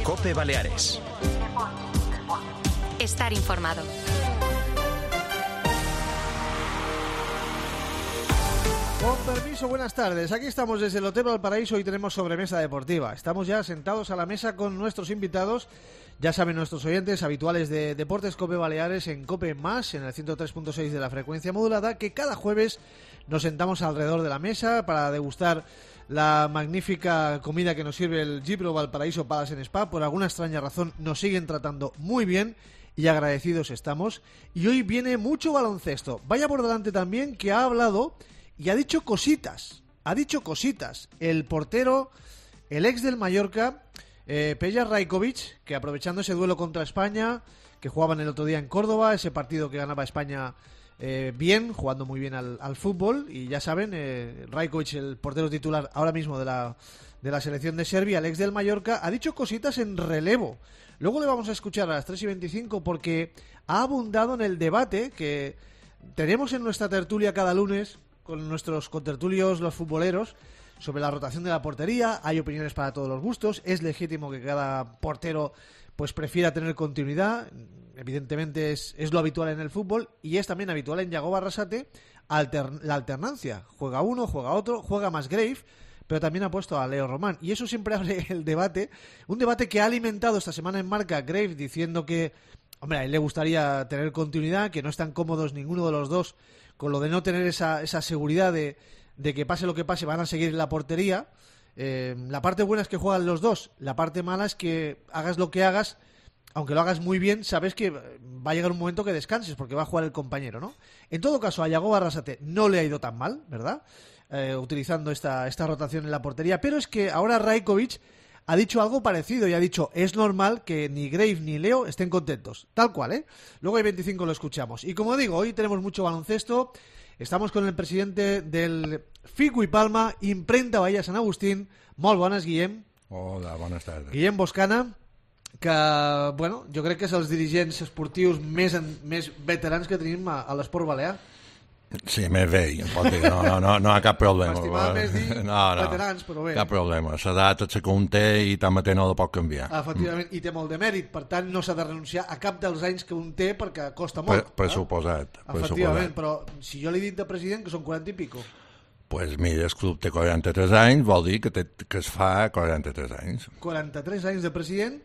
COPE Baleares. Estar informado. Con permiso, buenas tardes. Aquí estamos desde el Hotel Valparaíso y tenemos sobremesa deportiva. Estamos ya sentados a la mesa con nuestros invitados. Ya saben nuestros oyentes habituales de Deportes COPE Baleares en COPE+, en el 103.6 de la frecuencia modulada, que cada jueves nos sentamos alrededor de la mesa para degustar la magnífica comida que nos sirve el Gibro Valparaíso Palace Spa. Por alguna extraña razón nos siguen tratando muy bien y agradecidos estamos. Y hoy viene mucho baloncesto. Vaya por delante también que ha hablado y ha dicho cositas. El portero, el ex del Mallorca, Peja Rajkovic, que aprovechando ese duelo contra España, que jugaban el otro día en Córdoba, ese partido que ganaba España bien, jugando muy bien al fútbol, y ya saben, Rajkovic, el portero titular ahora mismo de la selección de Serbia, el ex del Mallorca, ha dicho cositas en relevo. Luego le vamos a escuchar a las 3:25 porque ha abundado en el debate que tenemos en nuestra tertulia cada lunes con nuestros contertulios, los futboleros, sobre la rotación de la portería. Hay opiniones para todos los gustos. Es legítimo que cada portero pues prefiera tener continuidad. Evidentemente es lo habitual en el fútbol, y es también habitual en Yago Barrasate la alternancia. Juega uno, juega otro, juega más Grave, pero también ha puesto a Leo Román, y eso siempre abre el debate. Un debate que ha alimentado esta semana en Marca Grave, diciendo que, hombre, a él le gustaría tener continuidad, que no están cómodos ninguno de los dos con lo de no tener esa seguridad de que pase lo que pase van a seguir en la portería. La parte buena es que juegan los dos, la parte mala es que hagas lo que hagas, aunque lo hagas muy bien, sabes que va a llegar un momento que descanses porque va a jugar el compañero, ¿no? En todo caso, a Yago Barrasate no le ha ido tan mal, ¿verdad? Utilizando esta rotación en la portería, pero es que ahora Rajkovic ha dicho algo parecido y ha dicho: es normal que ni Grave ni Leo estén contentos, tal cual, ¿eh? Luego hay 25 lo escuchamos. Y como digo, hoy tenemos mucho baloncesto. Estamos con el presidente del Fico i Palma, Imprenta Bahia Sant Agustín. Molt bones, Guillem. Hola, bones tardes. Guillem Boscana, que, bueno, jo crec que és els dirigents esportius més veterans que tenim a l'esport balear. Sí, més vell, pot dir. No hi ha cap problema. M'estimava més dir veterans, però bé. Cap problema. L'edat és la que un té i tanmateix no la pot canviar. Efectivament, i té molt de mèrit. Per tant, no s'ha de renunciar a cap dels anys que un té perquè costa molt. Pressuposat. Efectivament, però si jo li he dit de president que són 40 i pico. Pues mira, el club té 43 anys, vol dir que es fa 43 anys. 43 anys de president,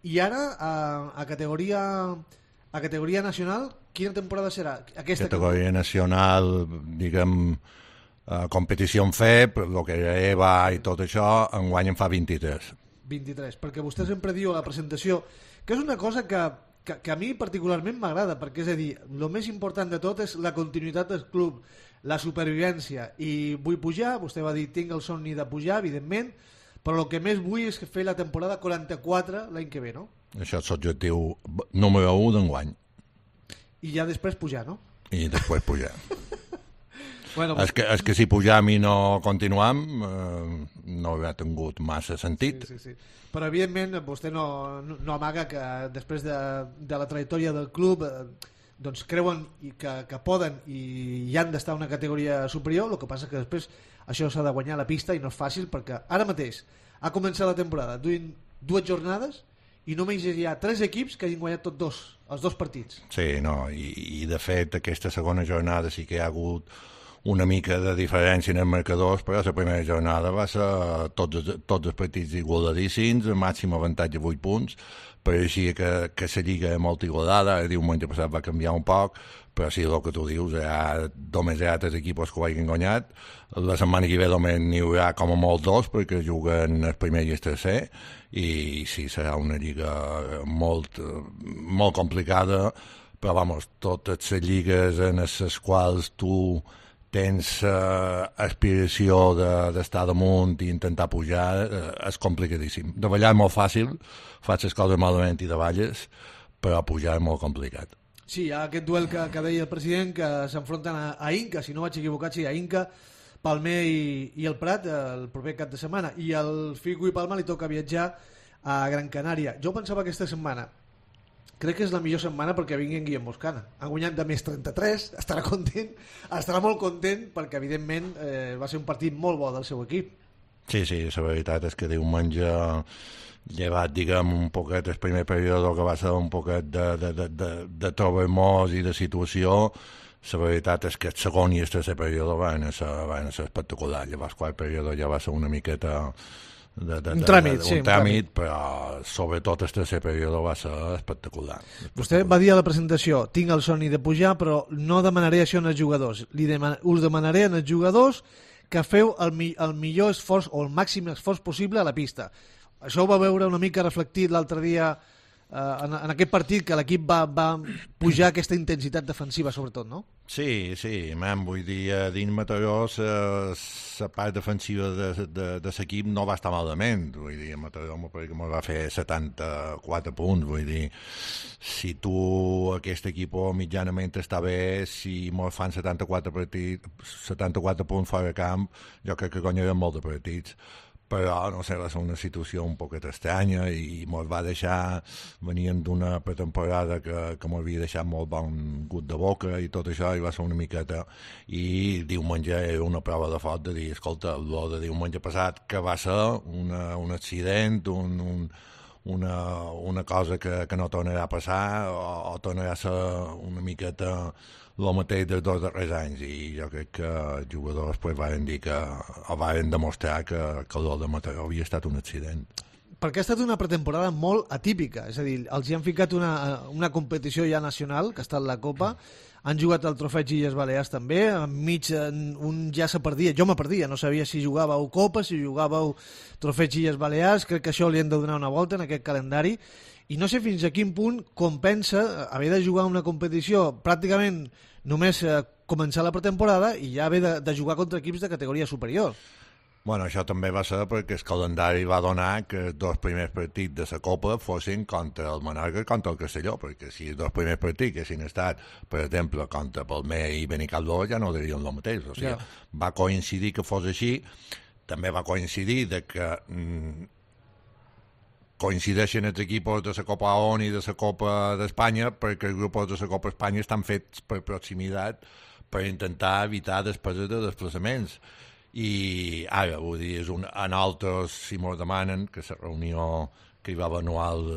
i ara a categoria nacional, quina temporada serà? Categoria nacional, diguem, competició en FEP, el que era EVA i tot això, enguany en fa 23. 23, perquè vostè sempre diu a la presentació que és una cosa que a mi particularment m'agrada, perquè és a dir, el més important de tot és la continuïtat del club, la supervivència, i vull pujar. Vostè va dir: tinc el somni de pujar, evidentment, però el que més vull és fer la temporada 44 l'any que ve, no? Això és l'objectiu número 1 d'enguany. I ja després pujar, no? I després pujar. Bueno, és que si pujam i no continuam no hauria tingut massa sentit. Sí. Però evidentment vostè no amaga que després de la trajectòria del club doncs creuen que poden i han d'estar en una categoria superior. El que passa que després això s'ha de guanyar a la pista i no és fàcil, perquè ara mateix ha començat la temporada duent 2 jornades i només hi ha 3 equips que hagin guanyat els 2 partits. Sí, no, i de fet aquesta segona jornada sí que hi ha hagut una mica de diferència en els marcadors, però la primera jornada va ser tots els partits igualadíssims, màxim avantatge 8 punts, pareixia que la lliga és molt igualada. El diumenge passat va canviar un poc, però sí, el que tu dius, només hi ha 3 equips que ho hagin guanyat. La setmana que ve només n'hi haurà com a molt 2, perquè juguen el primer i el tercer, i sí, serà una lliga molt complicada, però vamos, totes les lligues en les quals tu tens aspiració d'estar damunt i intentar pujar, és complicadíssim. De ballar és molt fàcil, fas les coses malament i davalles, però pujar és molt complicat. Sí, hi ha aquest duel que deia el president, que s'enfronten a Inca, si no vaig equivocat, sí, a Inca, Palmer i el Prat el proper cap de setmana, i al Fico i Palma li toca viatjar a Gran Canària. Jo pensava aquesta setmana, crec que és la millor setmana perquè vingui en Guillem Boscana. Ha guanyat de més 33, estarà content, estarà molt content, perquè evidentment va ser un partit molt bo del seu equip. Sí, la veritat és que diumenge llevat, diguem, un poquet el primer període que va ser un poquet de trobemors i de situació, la veritat és que el segon i el tercer període van ser espectacular. Llavors, el quart període ja va ser una miqueta un tràmit, però sobretot el tercer període va ser espectacular. Vostè va dir a la presentació, tinc el somni de pujar, però no demanaré això als jugadors. Us demanaré als jugadors que feu el millor esforç o el màxim esforç possible a la pista. Això ho va veure una mica reflectit l'altre dia en aquest partit, que l'equip va pujar aquesta intensitat defensiva, sobretot, no? Sí, vull dir, dins Mataró la part defensiva de l'equip no va estar malament, vull dir, Mataró me va fer 74 punts, vull dir, si tu aquest equip mitjanament està bé, si mos fan 74 punts fora de camp, jo crec que guanyarem molt de partits. Però, no sé, va ser una situació un poquet estranya i mos va deixar, venien d'una pretemporada que m'havia deixat molt bon gust de boca i tot això, i va ser una miqueta, i diumenge era una prova de foc de dir, escolta, el de diumenge passat, que va ser un accident, una cosa que no tornarà a passar o tornarà a ser una miqueta el mateix dels 2 darrers anys, i jo crec que els jugadors van dir van demostrar que el de Mataró havia estat un accident. Perquè ha estat una pretemporada molt atípica, és a dir, els hi han ficat una competició ja nacional, que ha estat la Copa, han jugat el Trofeig Illes Balears també, enmig un ja se perdia, jo me perdia, no sabia si jugàveu Copa, si jugàveu Trofeig Illes Balears, crec que això li hem de donar una volta en aquest calendari, i no sé fins a quin punt compensa haver de jugar una competició pràcticament només començar la pretemporada i ja haver de jugar contra equips de categoria superior. Bueno, això també va ser perquè el calendari va donar que els 2 primers partits de la Copa fossin contra el Menorca i contra el Castelló, perquè si els 2 primers partits haguessin estat, per exemple, contra Palmer i Benicarló, ja no dirien el mateix. O sigui, va coincidir que fos així, també va coincidir de que coincideixen els equips de la Copa ON i de la Copa d'Espanya, perquè els grups de la Copa Espanya estan fets per proximitat per intentar evitar despeses de desplaçaments. I ara, vull dir, en altres, si m'ho demanen, que la reunió que hi va haver anual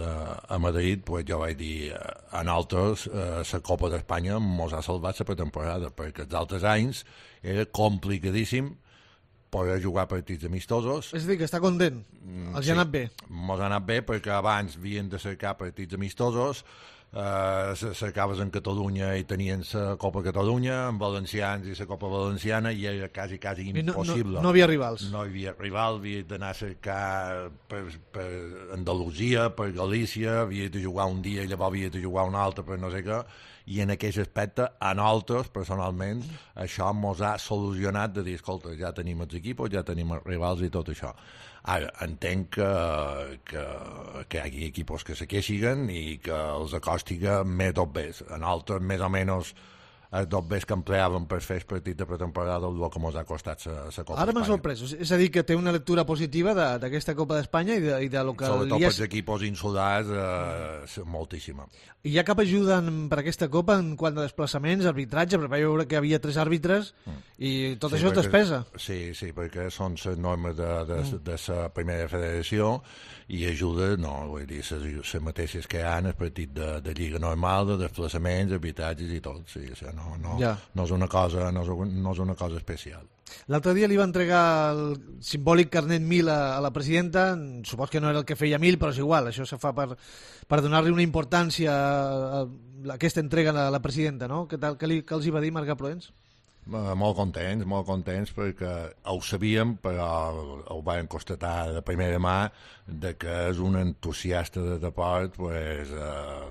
a Madrid, pues jo vaig dir, en altres, la Copa d'Espanya mos ha salvat la pretemporada, perquè els altres anys era complicadíssim poder jugar partits amistosos. És a dir, que està content. Els ha anat bé. Mos ha anat bé perquè abans havien de cercar partits amistosos, cercaves en Catalunya i tenien la Copa Catalunya, amb valencians i la Copa Valenciana, i era quasi impossible. No havia rivals. No hi havia rivals, havia d'anar a cercar per Andalusia, per Galícia, havia de jugar un dia i llavors havia de jugar un altre per no sé què, i en aquest aspecte, a nosaltres, personalment, això mos ha solucionat de dir, escolta, ja tenim els equips, ja tenim els rivals i tot això. Ara, entenc que hi hagi equips que se queixiguen i que els acostiga més dos bes. En altres, més o menys, els dos bes que empleàvem per fer el partit de pretemporada el que ens ha costat la Copa Espanya. Ara m'ha sorprès, és a dir, que té una lectura positiva d'aquesta Copa d'Espanya i de lo que... Sobretot pels equips insulars, moltíssima. I hi ha cap ajuda per aquesta Copa en quant a desplaçaments, arbitratge? Perquè vaig veure que hi havia 3 àrbitres i tot això és despesa. Sí, perquè són les normes de la primera federació i ajuda, no, vull dir, les mateixes que hi ha en el partit de lliga normal, de desplaçaments, arbitratges i tot, sí, no és una cosa especial. L'altre dia li va entregar el simbòlic carnet 1000 a la presidenta, supos que no era el que feia 1000, però és igual, això se fa per donar-li una importància a aquesta entrega a la presidenta, no? Què els hi va dir Marc Proens? Molt contents perquè ho sabíem, però ho vam constatar de primera mà de que és un entusiasta de deport, pues,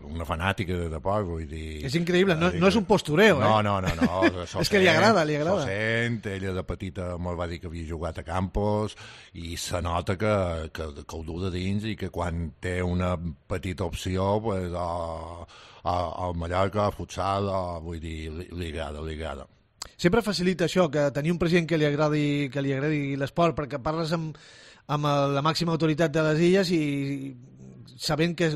una fanàtica de deport, vull dir... És increïble, no és un postureo, No. És que li agrada. S'ho sent, ella de petita me'l va dir que havia jugat a Campos i se nota que ho du de dins i que quan té una petita opció, pues, al Mallorca, al futsal, vull dir, li agrada. Sempre facilita això, que tenir un president que li agradi l'esport, perquè parles amb la màxima autoritat de les illes i sabent que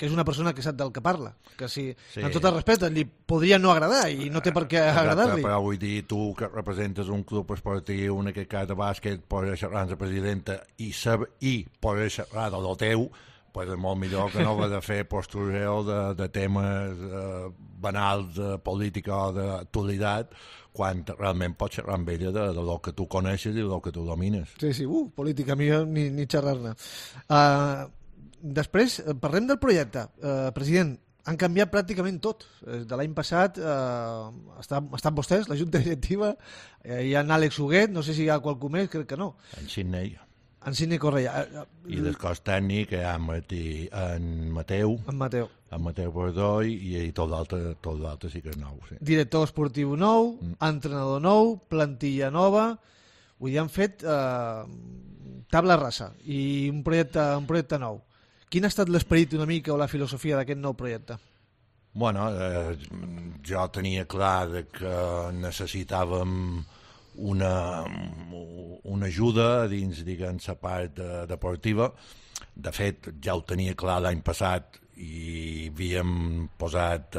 és una persona que sap del que parla, que si, amb tot el respecte, li podria no agradar i no té per què agradar-li. Però vull dir, tu que representes un club esportiu, en aquest cas de bàsquet, pots xerrar amb la presidenta i pots xerrar de lo teu, pues és molt millor que no haver de fer postureo de temes banals de política o d'actualitat, quan realment pots xerrar amb ella de lo que tu coneixes i de lo que tu domines. Sí, política millor ni xerrar-ne. Després, parlem del projecte. President, han canviat pràcticament tot. De l'any passat estan vostès, la Junta Directiva, hi ha en Àlex Huguet, no sé si hi ha qualcú més, crec que no. En Sidney. En Sidney Correia. I del cos tècnic hi ha en Mateu. En Mateu. En Mateu Bordoi i tot l'altre sí que és nou. Sí. Director esportiu nou, entrenador nou, plantilla nova. Vull dir, han fet tabla rasa i un projecte nou. Quin ha estat l'esperit una mica o la filosofia d'aquest nou projecte? Bueno, jo tenia clar que necessitàvem una ajuda dins, diguem, la part deportiva. De fet, ja ho tenia clar l'any passat i havíem posat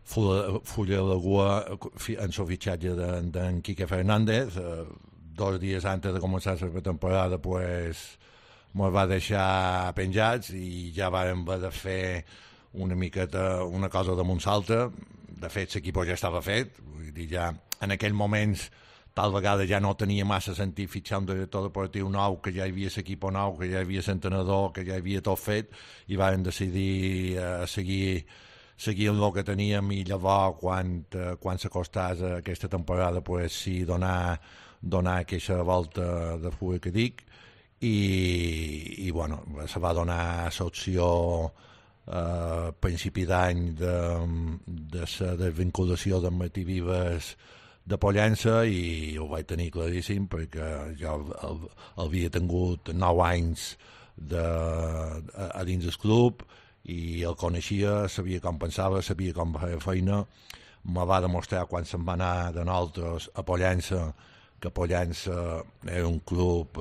fulla de cua en el fitxatge d'en Quique Fernández. 2 dies antes de començar la temporada, pues, ens va deixar penjats i ja vam haver de fer una miqueta una cosa damunt l'altra. De fet, l'equip ja estava fet, vull dir, ja en aquells moments tal vegada ja no tenia massa sentit fitxar un director deportiu nou, que ja hi havia l'equip nou, que ja hi havia l'entrenador, que ja hi havia tot fet, i vam decidir seguir amb el que teníem, i llavors quan s'acostàs aquesta temporada, pues, sí, donar aquesta volta de fuga que dic, i bueno, se va donar l'opció a principi d'any de la desvinculació d'en Martí Vives de Pollença, i ho vaig tenir claríssim perquè jo havia tingut 9 anys a dins del club i el coneixia, sabia com pensava, sabia com feia feina. Me va demostrar quan se'n va anar de nosaltres a Pollença que Pollença era un club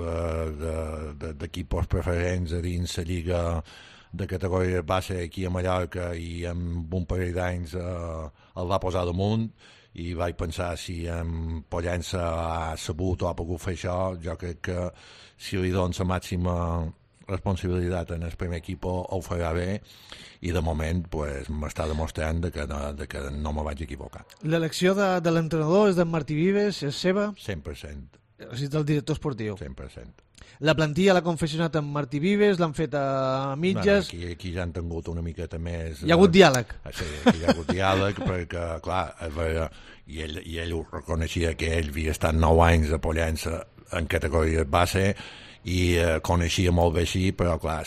d'equipos preferents a dins la lliga de categoria base aquí a Mallorca, i en un parell d'anys el va posar damunt, i vaig pensar, si en Pollença ha sabut o ha pogut fer això, jo crec que si li dono la màxima responsabilitat en el primer equip ho farà bé, i de moment pues, m'està demostrant que no me vaig equivocar. L'elecció de l'entrenador és d'en Martí Vives, és seva? 100%. És del director esportiu? 100%. La plantilla l'ha confeccionat en Martí Vives, l'han fet a mitges? No, aquí ja han tingut una miqueta més... Hi ha hagut diàleg? Sí, aquí hi ha hagut diàleg, perquè, clar, i ell ho reconeixia, que ell havia estat 9 anys a Pollença en categoria base, i coneixia molt bé així, però clar,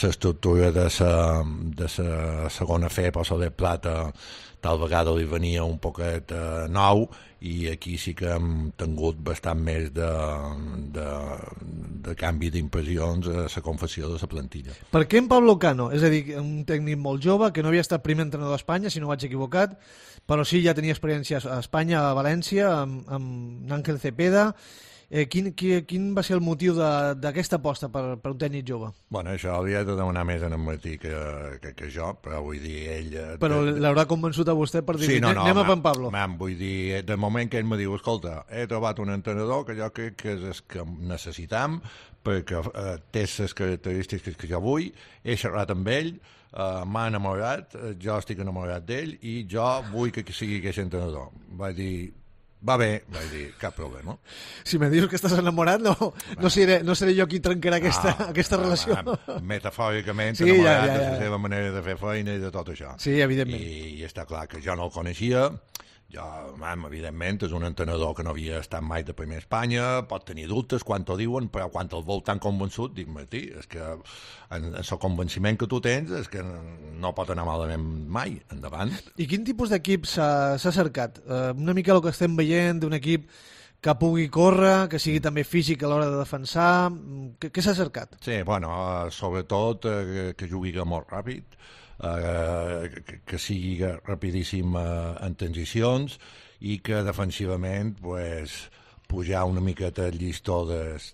l'estructura de la segona FEP o la de plata tal vegada li venia un poquet nou, i aquí sí que hem tingut bastant més de canvi d'impressions a la confecció de la plantilla. Per què en Pablo Cano? És a dir, un tècnic molt jove, que no havia estat primer entrenador a Espanya, si no vaig equivocat, però sí ja tenia experiència a Espanya, a València, amb Ángel Cepeda. Quin va ser el motiu d'aquesta aposta per un tècnic jove? Bueno, això hauria de demanar més en Martí que jo, però vull dir, ell... Però l'haurà convençut a vostè per dir, sí, no, anem a en Pablo. Vull dir, de moment que ell me diu, escolta, he trobat un entrenador que jo crec que és el que necessitam, perquè té les característiques que jo vull, he xerrat amb ell, m'ha enamorat, jo estic enamorat d'ell, i jo vull que sigui aquest entrenador. Vaig dir... Va bé, vaig dir, cap problema. Si me dius que estàs enamorat, no seré jo qui trencarà aquesta relació. Metafòricament, sí, enamorat de la seva manera de fer feina i de tot això. Sí, evidentment. I està clar que jo no el coneixia. Jo, evidentment, és un entrenador que no havia estat mai de primer a Espanya, pot tenir dubtes quan t'ho diuen, però quan el vol tan convençut, dic, Martí, és que en el convenciment que tu tens és que no pot anar malament mai, endavant. I quin tipus d'equip s'ha cercat? Una mica el que estem veient d'un equip que pugui córrer, que sigui també físic a l'hora de defensar. Què s'ha cercat? Sí, bueno, sobretot que jugui molt ràpid, que sigui rapidíssim en transicions, i que defensivament pues, pujar una miqueta el llistó dels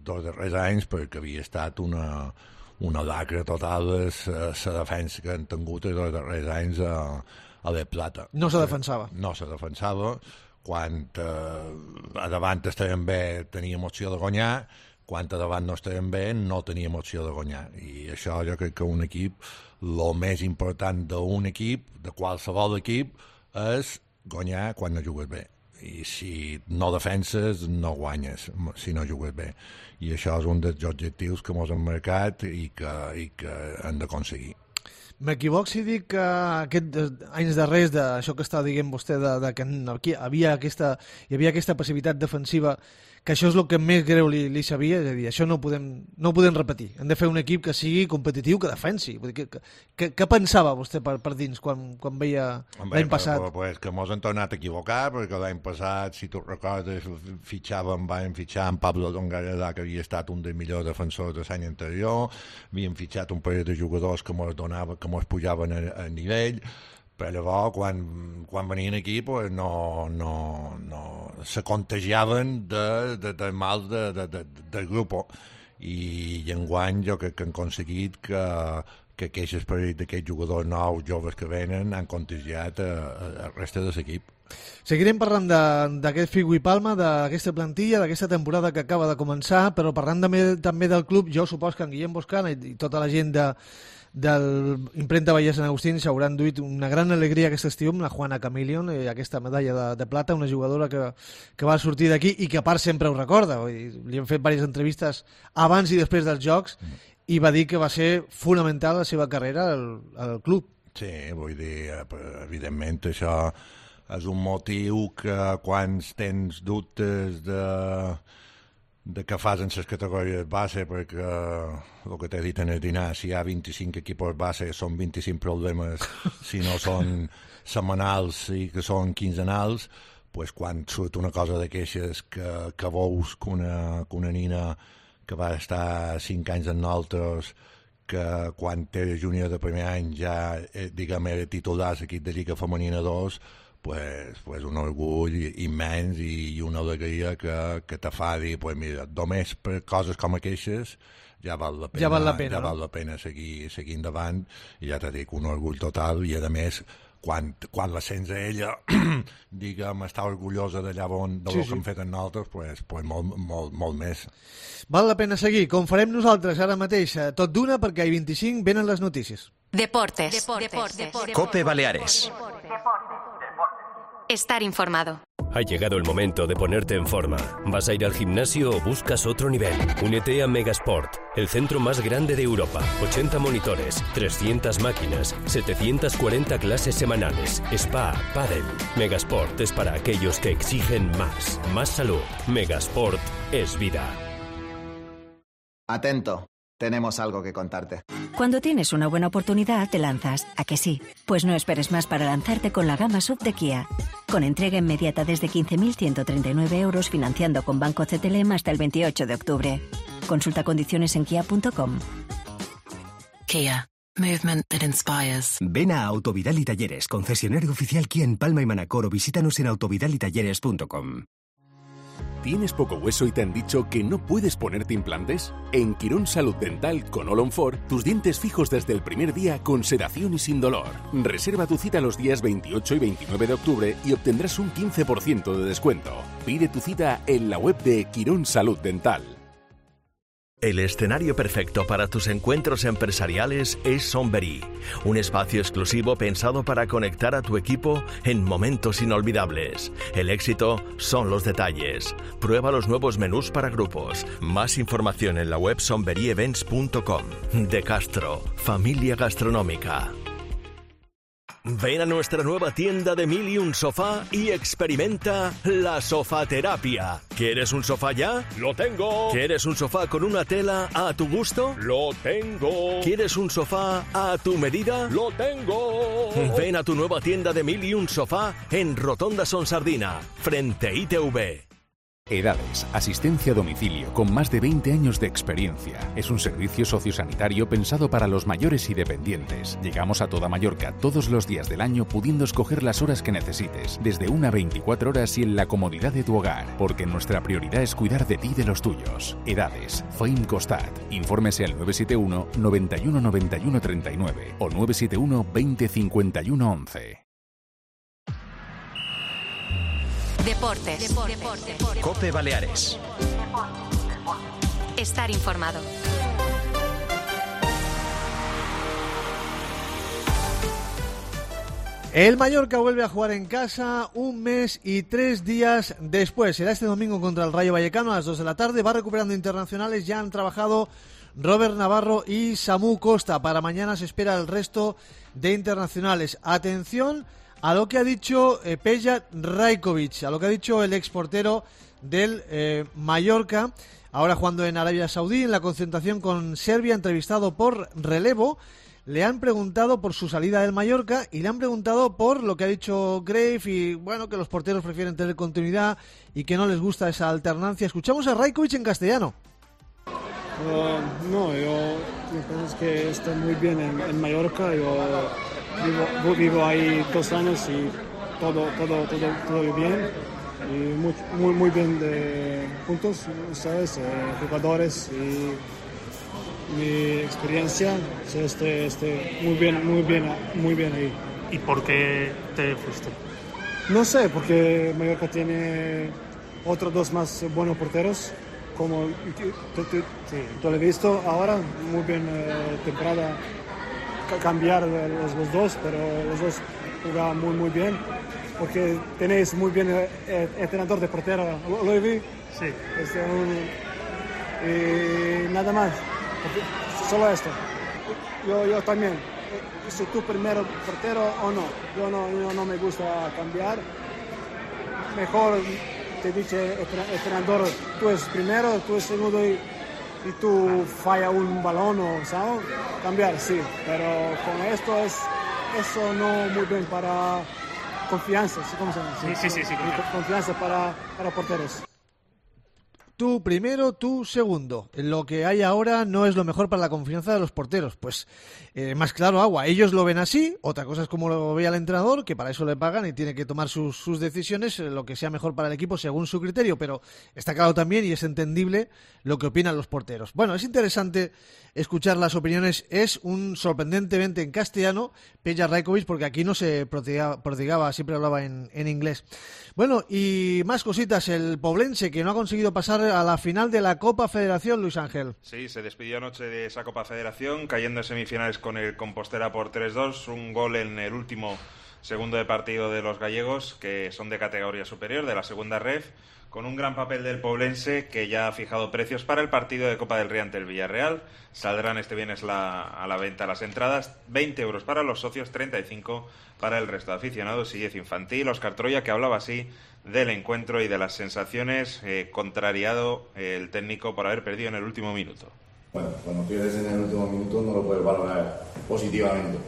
darrers anys, perquè havia estat una lacra total la defensa que han tingut els darrers anys a la Plata. No se defensava. No se defensava. Quan a davant estàvem bé teníem opció de guanyar, quan a davant no estàvem bé no teníem opció de guanyar. I això jo crec que un equip, el més important d'un equip, de qualsevol equip, és guanyar quan no jugues bé. I si no defenses, no guanyes, si no jugues bé. I això és un dels objectius que ens hem marcat i que hem d'aconseguir. M'equivoc si dic que aquests anys darrers d'això que està dient vostè de que hi havia aquesta passivitat defensiva, que això és el que més greu li sabia, és a dir, això no ho podem repetir. Hem de fer un equip que sigui competitiu, que defensi. Vull dir, què pensava vostè per dins quan veia l'any passat? Pues que ens hem tornat a equivocar, perquè l'any passat, si tu recordes, vam fitxar en Pablo Dongareda, que havia estat un dels millors defensors de l'any anterior, havíem fitxat un parell de jugadors que ens pujaven a nivell, però llavors quan venien aquí pues, no se contagiaven de mal del grup, i enguany jo crec que han aconseguit que aquest esperit d'aquests jugadors nous joves que venen han contagiat el reste de l'equip. Seguirem parlant d'aquest Figo i Palma, d'aquesta plantilla, d'aquesta temporada que acaba de començar, però parlant també del club, jo supos que en Guillem Boscana i tota la gent de l'impremta Vallès Sant Agustí s'hauran duit una gran alegria aquest estiu amb la Juana Chameleon, aquesta medalla de plata, una jugadora que va sortir d'aquí i que a part sempre ho recorda. Li hem fet diverses entrevistes abans i després dels Jocs i va dir que va ser fonamental la seva carrera al club. Sí, vull dir, evidentment això és un motiu que quan tens dubtes de què fas en les categories base, perquè el que t'he dit en el dinar, si hi ha 25 equipos base són 25 problemes, si no són setmanals i que són quinzenals, pues quan surt una cosa de queixes que veus que una nina que va estar 5 anys amb nosaltres, que quan era júnior de primer any ja diguem era titular a l'equip de Lliga Femenina 2, pues un orgull immens i una alegria que te fa dir, pues mira, només per coses com aquestes ja val la pena seguir endavant, i ja t'he dit, un orgull total, i a més quan la sents a ella diguem, està orgullosa d'allà del que hem fet amb nosaltres, pues molt més. Val la pena seguir, com farem nosaltres ara mateix, tot d'una, perquè a 25 venen les notícies. Deportes. COPE Baleares. Estar informado. Ha llegado el momento de ponerte en forma. ¿Vas a ir al gimnasio o buscas otro nivel? Únete a Megasport, el centro más grande de Europa. 80 monitores, 300 máquinas, 740 clases semanales, spa, pádel. Megasport es para aquellos que exigen más. Más salud. Megasport es vida. Atento. Tenemos algo que contarte. Cuando tienes una buena oportunidad, te lanzas. ¿A que sí? Pues no esperes más para lanzarte con la gama SUV de Kia. Con entrega inmediata desde 15.139 euros, financiando con Banco CTLM hasta el 28 de octubre. Consulta condiciones en kia.com. Kia. Movement that inspires. Ven a Autovidal y Talleres, concesionario oficial Kia en Palma y Manacor, o visítanos en autovidalitalleres.com. ¿Tienes poco hueso y te han dicho que no puedes ponerte implantes? En Quirón Salud Dental con All on 4, tus dientes fijos desde el primer día con sedación y sin dolor. Reserva tu cita los días 28 y 29 de octubre y obtendrás un 15% de descuento. Pide tu cita en la web de Quirón Salud Dental. El escenario perfecto para tus encuentros empresariales es Somberí, un espacio exclusivo pensado para conectar a tu equipo en momentos inolvidables. El éxito son los detalles. Prueba los nuevos menús para grupos. Más información en la web somberyevents.com. De Castro, familia gastronómica. Ven a nuestra nueva tienda de 1001 Sofá y experimenta la sofaterapia. ¿Quieres un sofá ya? ¡Lo tengo! ¿Quieres un sofá con una tela a tu gusto? ¡Lo tengo! ¿Quieres un sofá a tu medida? ¡Lo tengo! Ven a tu nueva tienda de 1001 Sofá en Rotonda Son Sardina, frente a ITV. EDADES, asistencia a domicilio con más de 20 años de experiencia. Es un servicio sociosanitario pensado para los mayores y dependientes. Llegamos a toda Mallorca todos los días del año pudiendo escoger las horas que necesites, desde 1 a 24 horas y en la comodidad de tu hogar, porque nuestra prioridad es cuidar de ti y de los tuyos. EDADES, FEIM Costat. Infórmese al 971 91 91 39 o 971 20 51 11. Deportes. Cope Baleares. Estar informado. El Mallorca vuelve a jugar en casa 1 mes y 3 días después. Será este domingo contra el Rayo Vallecano a las 2 de la tarde. Va recuperando internacionales. Ya han trabajado Robert Navarro y Samu Costa. Para mañana se espera el resto de internacionales. Atención a lo que ha dicho Peja Rajkovic, a lo que ha dicho el exportero del Mallorca, ahora jugando en Arabia Saudí, en la concentración con Serbia, entrevistado por Relevo. Le han preguntado por su salida del Mallorca y le han preguntado por lo que ha dicho Grave y, bueno, que los porteros prefieren tener continuidad y que no les gusta esa alternancia. Escuchamos a Rajkovic en castellano. No, yo pienso que estoy muy bien en Mallorca. Yo vivo ahí 2 años y todo bien. Y muy bien de puntos, ¿sabes? Jugadores y mi experiencia. Estoy muy bien ahí. ¿Y por qué te fuiste? No sé, porque Mallorca tiene otros 2 más buenos porteros. Como tú lo has visto ahora, muy bien temporada, cambiar los 2, pero los 2 jugaban muy bien, porque tenéis muy bien entrenador de portero, lo vi. Sí. Y nada más, solo esto. Yo también, si tú primero portero o no, yo no me gusta cambiar, mejor te dice entrenador, tú es primero, tú es segundo y tú falla un balón o ¿sabes? Cambiar, sí, pero con esto eso no muy bien para confianza, ¿cómo se llama? Sí, confianza para porteros. Tú primero, tú segundo. Lo que hay ahora no es lo mejor para la confianza de los porteros. Pues más claro agua. Ellos lo ven así. Otra cosa es como lo ve el entrenador, que para eso le pagan y tiene que tomar sus decisiones, lo que sea mejor para el equipo según su criterio. Pero está claro también y es entendible lo que opinan los porteros. Bueno, es interesante escuchar las opiniones. Es un sorprendentemente en castellano Peja Rajkovic, porque aquí no se prodigaba, siempre hablaba en inglés. Bueno, y más cositas. El Poblense, que no ha conseguido pasar a la final de la Copa Federación, Luis Ángel. Sí, se despidió anoche de esa Copa Federación, cayendo en semifinales con el Compostela por 3-2, un gol en el último segundo de partido de los gallegos, que son de categoría superior, de la segunda ref, con un gran papel del Poblense, que ya ha fijado precios para el partido de Copa del Rey ante el Villarreal. Saldrán este viernes a la venta las entradas, 20 euros para los socios, 35 para el resto de aficionados y 10 infantil. Óscar Troya, que hablaba así del encuentro y de las sensaciones, contrariado el técnico por haber perdido en el último minuto. Bueno, cuando pierdes en el último minuto no lo puedes valorar positivamente.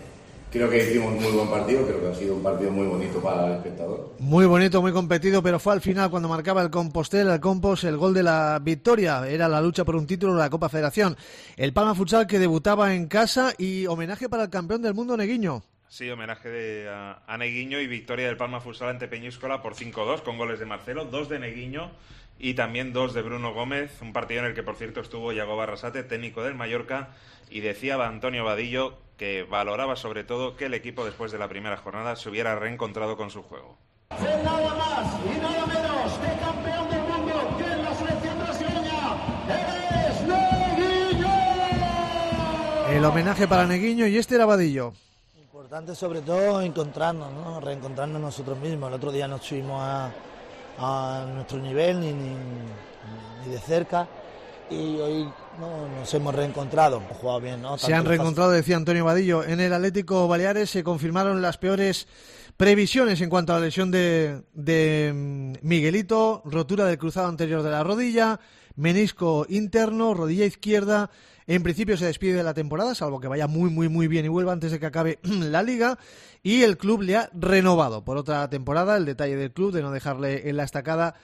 Creo que hicimos un muy buen partido, creo que ha sido un partido muy bonito para el espectador. Muy bonito, muy competido, pero fue al final cuando marcaba el Compostela, el Compos, el gol de la victoria. Era la lucha por un título de la Copa Federación. El Palma Futsal, que debutaba en casa, y homenaje para el campeón del mundo, Neguiño. Sí, homenaje a Neguiño y victoria del Palma Futsal ante Peñíscola por 5-2, con goles de Marcelo, 2 de Neguiño y también 2 de Bruno Gómez. Un partido en el que, por cierto, estuvo Iago Barrasate, técnico del Mallorca, y decía Antonio Vadillo que valoraba sobre todo que el equipo, después de la primera jornada, se hubiera reencontrado con su juego. Nada más y nada menos que campeón del mundo, que es la selección brasileña, ¡eres Neguiño! El homenaje para Neguiño, y este era Vadillo. Importante sobre todo encontrarnos, ¿no? Reencontrarnos nosotros mismos. El otro día no estuvimos a nuestro nivel ni de cerca, y hoy nos hemos reencontrado. Hemos jugado bien, ¿no? Se han reencontrado, decía Antonio Vadillo. En el Atlético Baleares se confirmaron las peores previsiones en cuanto a la lesión de Miguelito, rotura del cruzado anterior de la rodilla, menisco interno, rodilla izquierda. En principio se despide de la temporada, salvo que vaya muy bien y vuelva antes de que acabe la Liga, y el club le ha renovado por otra temporada. El detalle del club de no dejarle en la estacada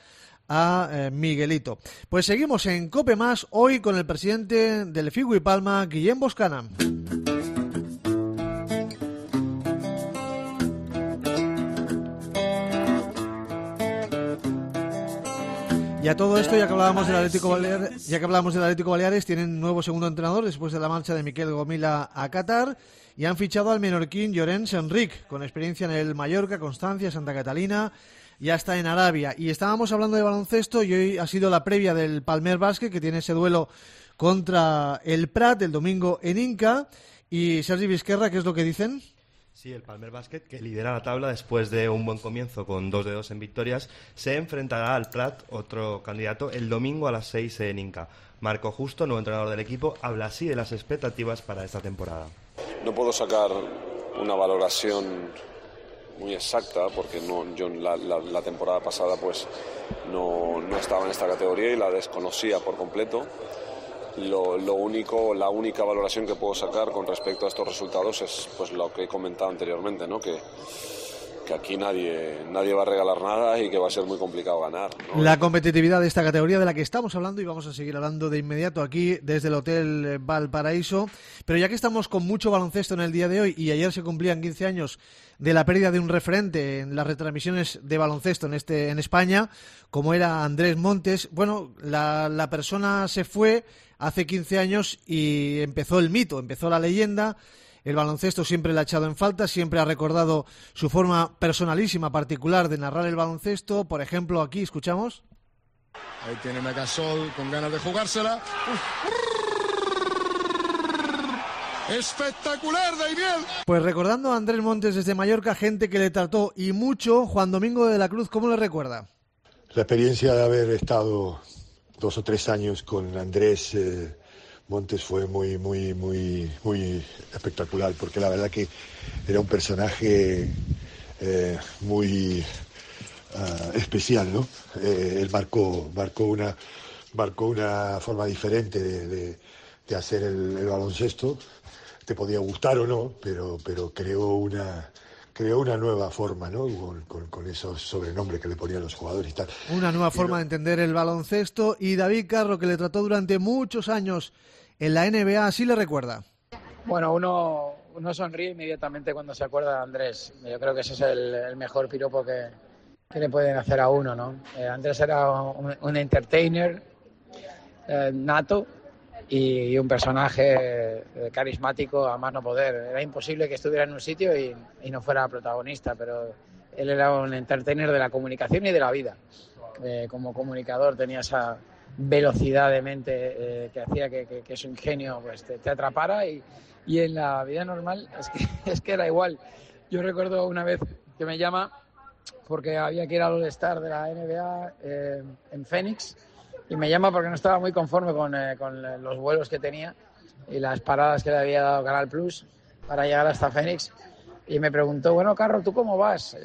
a Miguelito. Pues seguimos en COPE Más, hoy con el presidente del Figu y Palma, Guillem Boscana. Y a todo esto, ya que hablábamos del Atlético Baleares, tienen nuevo segundo entrenador después de la marcha de Miquel Gomila a Qatar y han fichado al menorquín Llorenç Enric, con experiencia en el Mallorca, Constancia, Santa Catalina y hasta en Arabia. Y estábamos hablando de baloncesto y hoy ha sido la previa del Palmer Bàsquet, que tiene ese duelo contra el Prat el domingo en Inca. Y Sergi Vizquerra, ¿qué es lo que dicen? Sí, el Palmer Bàsquet, que lidera la tabla después de un buen comienzo con 2-2 en victorias, se enfrentará al Prat, otro candidato, el domingo a las 6 en Inca. Marco Justo, nuevo entrenador del equipo, habla así de las expectativas para esta temporada. No puedo sacar una valoración muy exacta porque yo la temporada pasada pues no estaba en esta categoría y la desconocía por completo. La única valoración que puedo sacar con respecto a estos resultados es pues lo que he comentado anteriormente, ¿no? Que aquí nadie va a regalar nada y que va a ser muy complicado ganar, ¿no? La competitividad de esta categoría de la que estamos hablando, y vamos a seguir hablando de inmediato aquí desde el Hotel Valparaíso, pero ya que estamos con mucho baloncesto en el día de hoy y ayer se cumplían 15 años de la pérdida de un referente en las retransmisiones de baloncesto en España, como era Andrés Montes, bueno, la persona se fue hace 15 años y empezó el mito, empezó la leyenda. El baloncesto siempre le ha echado en falta, siempre ha recordado su forma personalísima, particular de narrar el baloncesto. Por ejemplo, aquí escuchamos. Ahí tiene Megasol con ganas de jugársela. ¡Espectacular, Daimiel! Pues recordando a Andrés Montes desde Mallorca, gente que le trató y mucho. Juan Domingo de la Cruz, ¿cómo le recuerda? La experiencia de haber estado 2 o 3 años con Andrés Montes fue muy espectacular, porque la verdad que era un personaje muy especial, ¿no? Él marcó una forma diferente de hacer el baloncesto. Te podía gustar o no, pero creó una nueva forma, ¿no? Con esos sobrenombres que le ponían los jugadores y tal. Una nueva forma de entender el baloncesto. Y David Carro, que le trató durante muchos años en la NBA, ¿así le recuerda? Bueno, uno sonríe inmediatamente cuando se acuerda de Andrés. Yo creo que ese es el mejor piropo que le pueden hacer a uno, ¿no? Andrés era un entertainer nato y un personaje carismático a más no poder. Era imposible que estuviera en un sitio y no fuera protagonista, pero él era un entertainer de la comunicación y de la vida. Como comunicador tenía esa velocidad de mente que hacía que su ingenio pues te atrapara y en la vida normal es que era igual. Yo recuerdo una vez que me llama porque había que ir al All-Star de la NBA en Phoenix y me llama porque no estaba muy conforme con los vuelos que tenía y las paradas que le había dado Canal Plus para llegar hasta Phoenix y me preguntó, bueno, Carro, ¿tú cómo vas?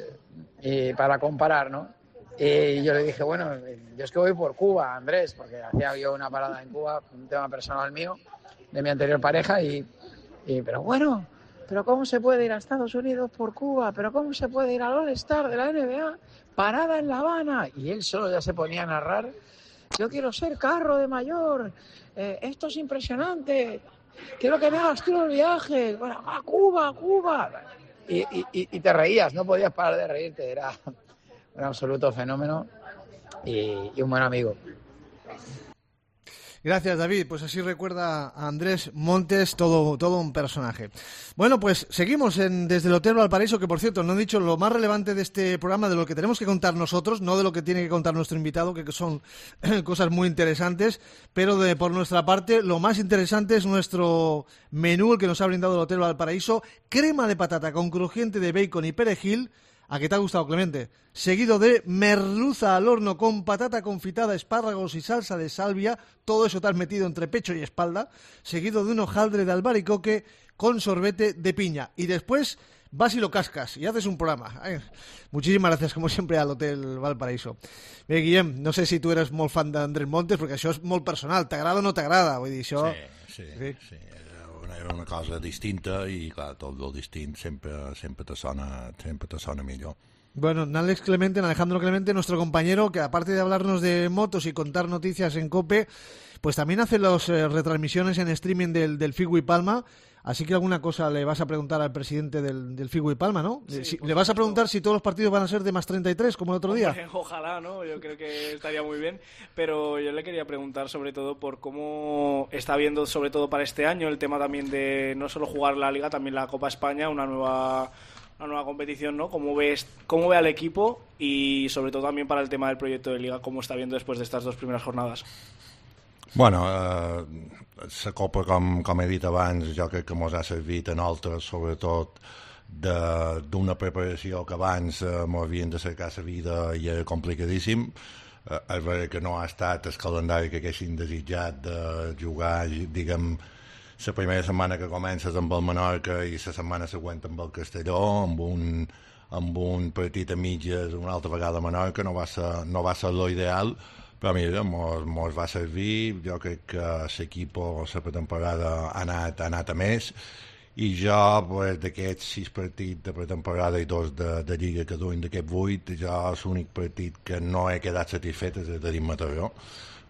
Y para comparar, ¿no? Y yo le dije, bueno, yo es que voy por Cuba, Andrés, porque hacía yo una parada en Cuba, un tema personal mío, de mi anterior pareja, pero bueno, ¿pero cómo se puede ir a Estados Unidos por Cuba? ¿Pero cómo se puede ir al All-Star de la NBA? Parada en La Habana. Y él solo ya se ponía a narrar, yo quiero ser Carro de mayor, esto es impresionante, quiero que me hagas tú el viaje, bueno, a Cuba. Y te reías, no podías parar de reírte, era un absoluto fenómeno y un buen amigo. Gracias, David. Pues así recuerda a Andrés Montes, todo un personaje. Bueno, pues seguimos desde el Hotel Valparaíso, que por cierto, no he dicho lo más relevante de este programa, de lo que tenemos que contar nosotros, no de lo que tiene que contar nuestro invitado, que son cosas muy interesantes, pero por nuestra parte, lo más interesante es nuestro menú, el que nos ha brindado el Hotel Valparaíso: crema de patata con crujiente de bacon y perejil. ¿A qué te ha gustado, Clemente? Seguido de merluza al horno con patata confitada, espárragos y salsa de salvia, todo eso te has metido entre pecho y espalda, seguido de un hojaldre de albaricoque con sorbete de piña. Y después vas y lo cascas y haces un programa. Muchísimas gracias, como siempre, al Hotel Valparaíso. Bé, Guillem, no sé si tu eres molt fan d'Andrés Montes, perquè això és molt personal. T'agrada o no t'agrada? Vull dir, això... Sí. Era una cosa distinta i, clar, tot el distint sempre te sona millor. Bueno, Alejandro Clemente, nuestro compañero, que aparte de hablarnos de motos y contar noticias en COPE, pues también hace las retransmisiones en streaming del FIGUI Palma. Así que alguna cosa le vas a preguntar al presidente del FIGUI Palma, ¿no? Sí, le vas a preguntar si todos los partidos van a ser de más 33, como el otro día. Ojalá, ¿no? Yo creo que estaría muy bien. Pero yo le quería preguntar sobre todo por cómo está viendo, sobre todo para este año, el tema también de no solo jugar la Liga, también la Copa España, una nueva competición, ¿no? ¿Cómo ve al equipo y sobre todo también para el tema del proyecto de Liga, cómo está viendo después de estas 2 primeras jornadas? Bueno, la Copa, com he dit abans, jo crec que ens ha servit a nosaltres, sobretot, d'una preparació que abans m'havien de cercar la vida i era complicadíssim. És veritat que no ha estat el calendari que haguessin desitjat de jugar, diguem, la primera setmana que comences amb el Menorca i la setmana següent amb el Castelló, amb un partit a mitges una altra vegada a Menorca, no va ser lo ideal, però mira, mos va servir. Jo crec que l'equip, la pretemporada ha anat a més, i jo, pues, d'aquests 6 partits de pretemporada i 2 de Lliga que duim d'aquests 8, jo l'únic partit que no he quedat satisfet és el de Mataró,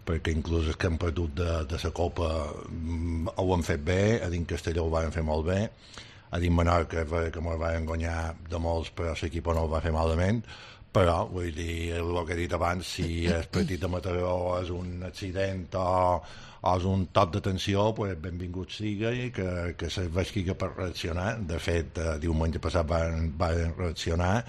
perquè inclús els que hem perdut de la Copa ho han fet bé, a dins Castelló ho van fer molt bé, a dins Menorca que ens van guanyar de molts, però l'equip no ho va fer malament. Però, vull dir, el que he dit abans, si el partit de Mataró és un accident o és un toc d'atenció, pues benvingut sigui, que serveixi per reaccionar. De fet, diumenge passat van reaccionar,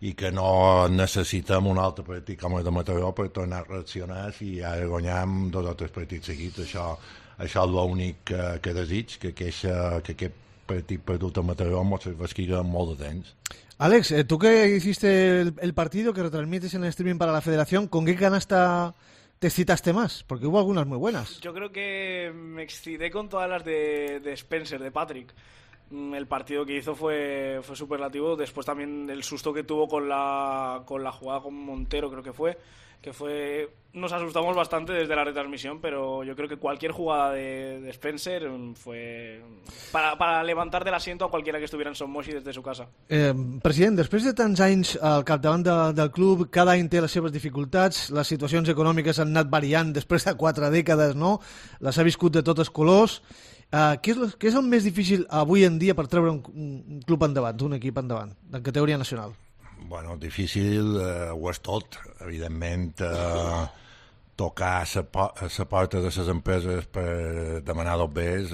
i que no necessitem un altre partit com el de Mataró per tornar a reaccionar si ara guanyem 2 o 3 partits seguits. Això és l'únic que desig, que aquest partit perdut a Mataró ens serveixi molt de temps. Alex, tú que hiciste el partido, que retransmites en el streaming para la Federación, ¿con qué canasta te excitaste más? Porque hubo algunas muy buenas. Yo creo que me excité con todas las de Spencer, de Patrick. El partido que hizo fue superlativo. Después también el susto que tuvo con la jugada con Montero, creo que fue nos asustamos bastante desde la retransmisión, pero yo creo que cualquier jugada de Spencer fue para levantar del asiento a cualquiera que estuviera en Son Moix desde su casa. President, després de tants anys al capdavant del club, cada any té les seves dificultats, les situacions econòmiques han anat variant després de 4 dècades, no? Les ha viscut de tots els colors. Què és el més difícil avui en dia per treure un club endavant, un equip endavant, de categoria nacional? Bueno, difícil ho és tot, evidentment. Tocar la porta de les empreses per demanar dos bés,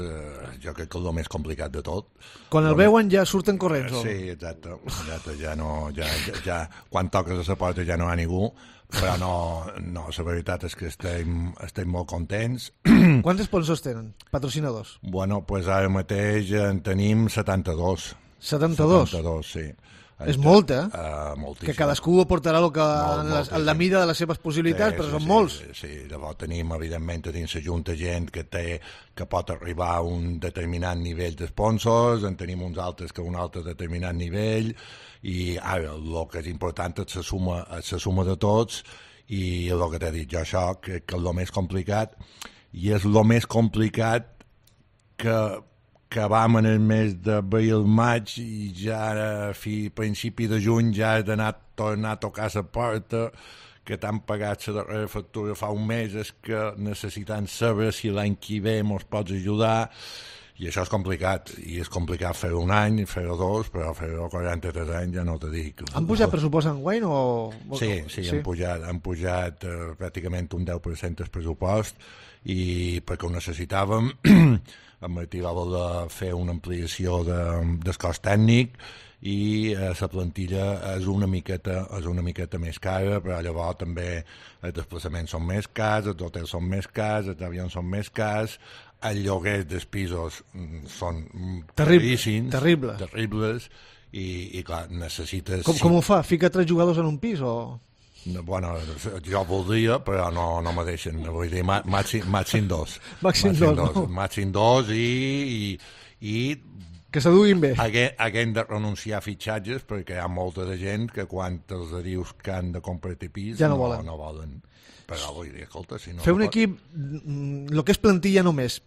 jo crec que és el més complicat de tot. Quan el veuen ja surten corrents, o? Sí, exacte. Ja, quan toques a la porta ja no hi ha ningú, però no, la veritat és que estem molt contents. Quants sponsors tenen, patrocinadors? Bueno, doncs ara mateix en tenim 72. 72? 72, sí. És molt, moltíssim. Que cadascú aportarà en la mida de les seves possibilitats, però són molts. Sí, llavors tenim, evidentment, dins la Junta gent que pot arribar a un determinat nivell d'esponsors, en tenim uns altres que a un altre determinat nivell, i ara el que és important és la suma de tots, i el que t'he dit jo, això, que és el més complicat, i és el més complicat que vam en el mes d'abril-maig, i ja a principi de juny ja he tornar a tocar la porta, que t'han pagat la darrera factura fa un mes, és que necessitem saber si l'any que ve ens pots ajudar, i això és complicat, i és complicat fer-ho un any, fer-ho 2, però fer-ho 43 anys ja no te dic. Han pujat pressupost enguany o...? Sí, han pujat pràcticament un 10% el pressupost, i perquè ho necessitàvem. En Martí va voler fer una ampliació del cos tècnic, i la plantilla és una miqueta més cara, però llavors també els desplaçaments són més cars, els hotels són més cars, els avions són més cars, els lloguers dels pisos són terribles, i clar, necessites... Com ho fa? Fica 3 jugadors en un pis o...? Bueno, jo voldria, però no me deixen. Vull dir, màxim 2. Màxim 2 i que s'aduguin bé. Haguem de renunciar a fitxatges, perquè hi ha molta de gent que quan els dius que han de comprar-te pis ja no volen. Però vull dir, escolta, si no... Fer un equip, el que és plantilla només,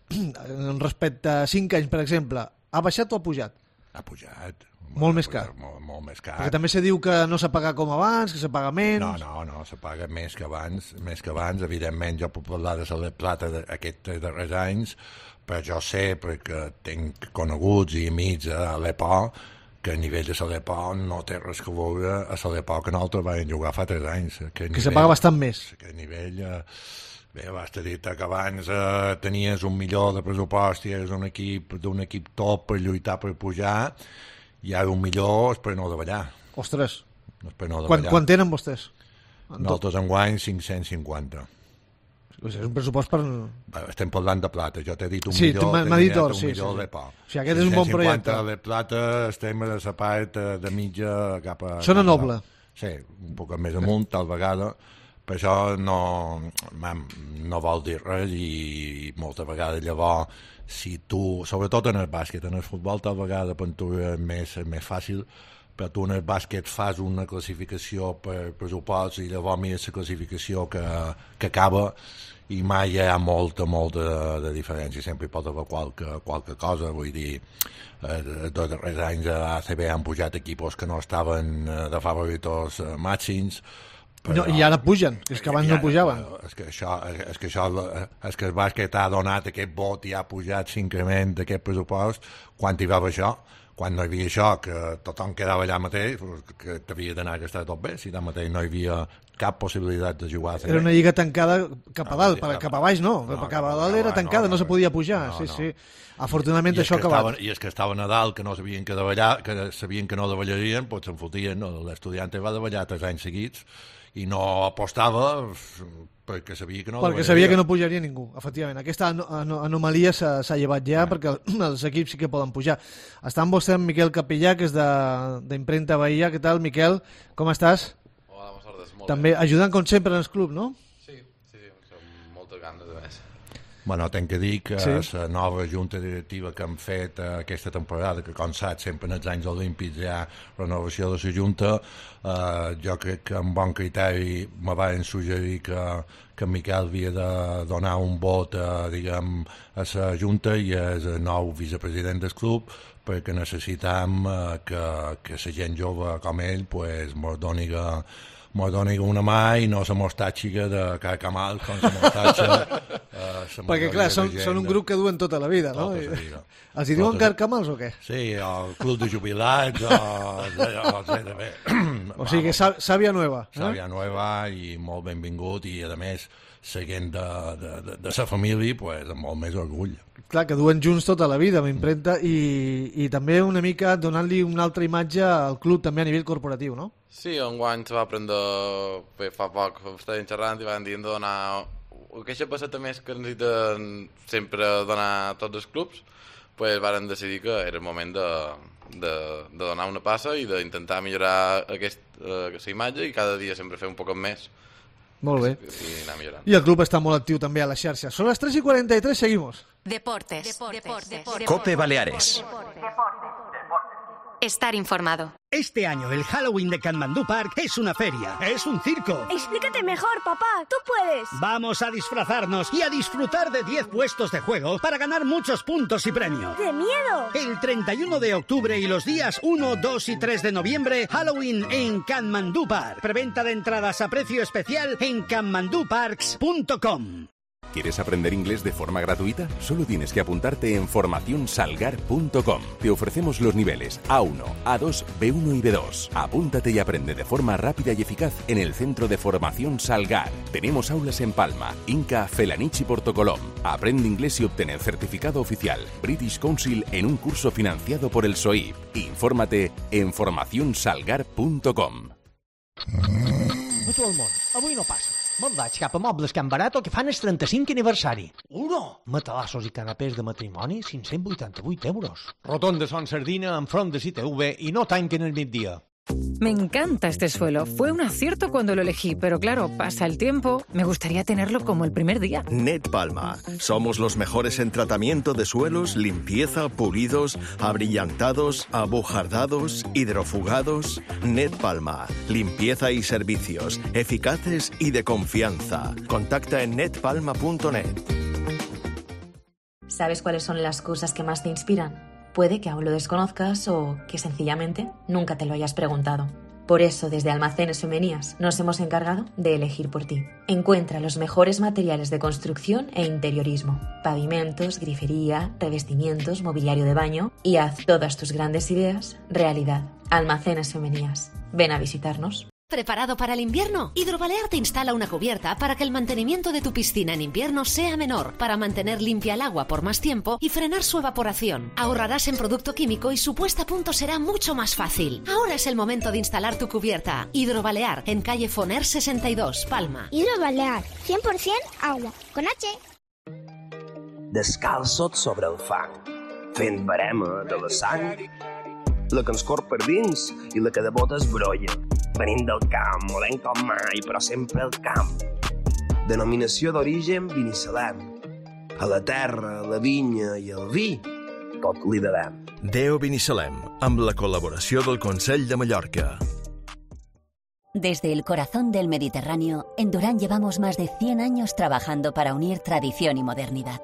respecte a 5 anys, per exemple, ha baixat o ha pujat? Ha pujat. Molt més car. Molt més car. Perquè també se diu que no s'ha pagat com abans, que se paga menys... No, se paga més que abans. Evidentment, jo puc parlar de la plata d'aquests darrers anys, però jo sé, perquè tinc coneguts i amics a l'EPO, que a nivell de l'EPO no té res que veure a l'EPO que nosaltres vam jugar fa 3 anys. Que se paga bastant més. Que a nivell... Bé, basta dir-te que abans tenies $1 milió de pressupost i eres d'un equip top per lluitar per pujar, i ara $1 milió és per no davallar. Ostres, no quan tenen vostès? Nosaltres enguany 550. És un pressupost per... Estem parlant de plata, jo t'he dit $1 milió, $1 milió de pa. O sigui, aquest és un bon projecte. 550 de plata, estem a la part de mitja cap a... Sona noble. Sí, un poc més amunt, tal vegada, però això no vol dir res, i moltes vegades llavors, si tu, sobretot en el bàsquet, en el futbol tal vegada per tu és més fàcil, però tu en el bàsquet fas una classificació per pressupost i llavors mires la classificació que acaba, i mai hi ha molta de diferència, sempre hi pot haver qualque cosa, vull dir, els darrers anys a ACB han pujat equips que no estaven de favoritos màxims, però... I ara pugen, és que abans no pujaven. És que el bàsquet ha donat aquest vot i ha pujat l'increment d'aquest pressupost quan hi va haver això. Quan no hi havia això, que tothom quedava allà mateix, que t'havia d'anar a gastar tot bé, si allà mateix no hi havia cap possibilitat de jugar a CB. Era una lliga tancada cap a dalt, cap a baix no, cap a dalt era tancada, no se podia pujar, sí. Afortunadament això ha acabat. I és que estava a Nadal, que no sabien que davallar, que sabien que no davallarien, doncs se'n fotien, l'estudiant va davallar 3 anys seguits, i no apostava perquè sabia que no perquè sabia que no pujaria ningú, efectivament. Aquesta anomalia s'ha llevat ja, perquè els equips sí que poden pujar. Està amb vostè en Miquel Capellà, que és d'Imprenta Bahia. Què tal, Miquel? Com estàs? Hola, bones tardes. També ajudant com sempre en el club, no? Sí, amb moltes ganes de més. Bueno, tenc que dir que la nova junta directiva que han fet aquesta temporada, que com saps sempre en els anys olímpics hi ha renovació de la junta, jo crec que amb bon criteri me van suggerir que Miquel havia de donar un vot diguem, a la junta i és el nou vicepresident del club, perquè necessitam que la gent jove com ell pues, mos doni una mà i no la mostatxiga de Carcamal com la mostatxa perquè clar, són un grup que duen tota la vida, no? Els hi diuen Carcamals o què? Sí, el club de jubilats o sigui, sàvia nova. Sàvia nova i molt benvingut, i a més seguint de la família pues, amb molt més orgull. Clar, que duen junts tota la vida, m'imprenta, i també una mica donant-li una altra imatge al club també a nivell corporatiu, no? Sí, enguany se va prendre, fa poc estàvem xerrant i van dir de donar... Aquesta passeta més que necessiten sempre donar a tots els clubs, pues varen decidir que era el moment de donar una passa i d'intentar millorar aquesta imatge i cada dia sempre fer un poc més. Molt bé. I anar millorant. I el club està molt actiu també a les xarxes. Són les 3:43, seguimos. Deportes. Cope Baleares. Estar informado. Este año el Halloween de Katmandú Park es una feria, es un circo. Explícate mejor, papá, tú puedes. Vamos a disfrazarnos y a disfrutar de 10 puestos de juego para ganar muchos puntos y premios. ¡Qué miedo! El 31 de octubre y los días 1, 2 y 3 de noviembre, Halloween en Katmandú Park. Preventa de entradas a precio especial en katmanduparks.com. ¿Quieres aprender inglés de forma gratuita? Solo tienes que apuntarte en formacionsalgar.com. Te ofrecemos los niveles A1, A2, B1 y B2. Apúntate y aprende de forma rápida y eficaz en el Centro de Formación Salgar. Tenemos aulas en Palma, Inca, Felanich y Portocolom. Aprende inglés y obtén el certificado oficial British Council en un curso financiado por el SOIP. Infórmate en formacionsalgar.com. A tot el món, avui no passa. Me'n vaig cap a Mobles Can Barato, que fan el 35 aniversari. Matalassos i canapés de matrimoni, 588 euros. Rotonda Son Sardina enfront de CTV i no tanquen el migdia. Me encanta este suelo. Fue un acierto cuando lo elegí, pero claro, pasa el tiempo. Me gustaría tenerlo como el primer día. Net Palma. Somos los mejores en tratamiento de suelos, limpieza, pulidos, abrillantados, abujardados, hidrofugados. Net Palma. Limpieza y servicios eficaces y de confianza. Contacta en netpalma.net. ¿Sabes cuáles son las cosas que más te inspiran? Puede que aún lo desconozcas o que sencillamente nunca te lo hayas preguntado. Por eso, desde Almacenes Femenías nos hemos encargado de elegir por ti. Encuentra los mejores materiales de construcción e interiorismo, pavimentos, grifería, revestimientos, mobiliario de baño y haz todas tus grandes ideas realidad. Almacenes Femenías. Ven a visitarnos. ¿Preparado para el invierno? Hidrobalear te instala una cubierta para que el mantenimiento de tu piscina en invierno sea menor, para mantener limpia el agua por más tiempo y frenar su evaporación. Ahorrarás en producto químico y su puesta a punto será mucho más fácil. Ahora es el momento de instalar tu cubierta. Hidrobalear, en calle Foner 62, Palma. Hidrobalear, 100% agua, con H. Descalçot sobre el fang, fent barema de la sang, la que ens corre per dins i la que de botes brolla. Venim del camp, volem com mai, però sempre al camp. Denominació d'origen Binissalem. A la terra, la vinya i el vi, tot li devem. Deo Binissalem, amb la col·laboració del Consell de Mallorca. Desde el corazón del Mediterráneo, en Durán llevamos más de 100 años trabajando para unir tradición y modernidad,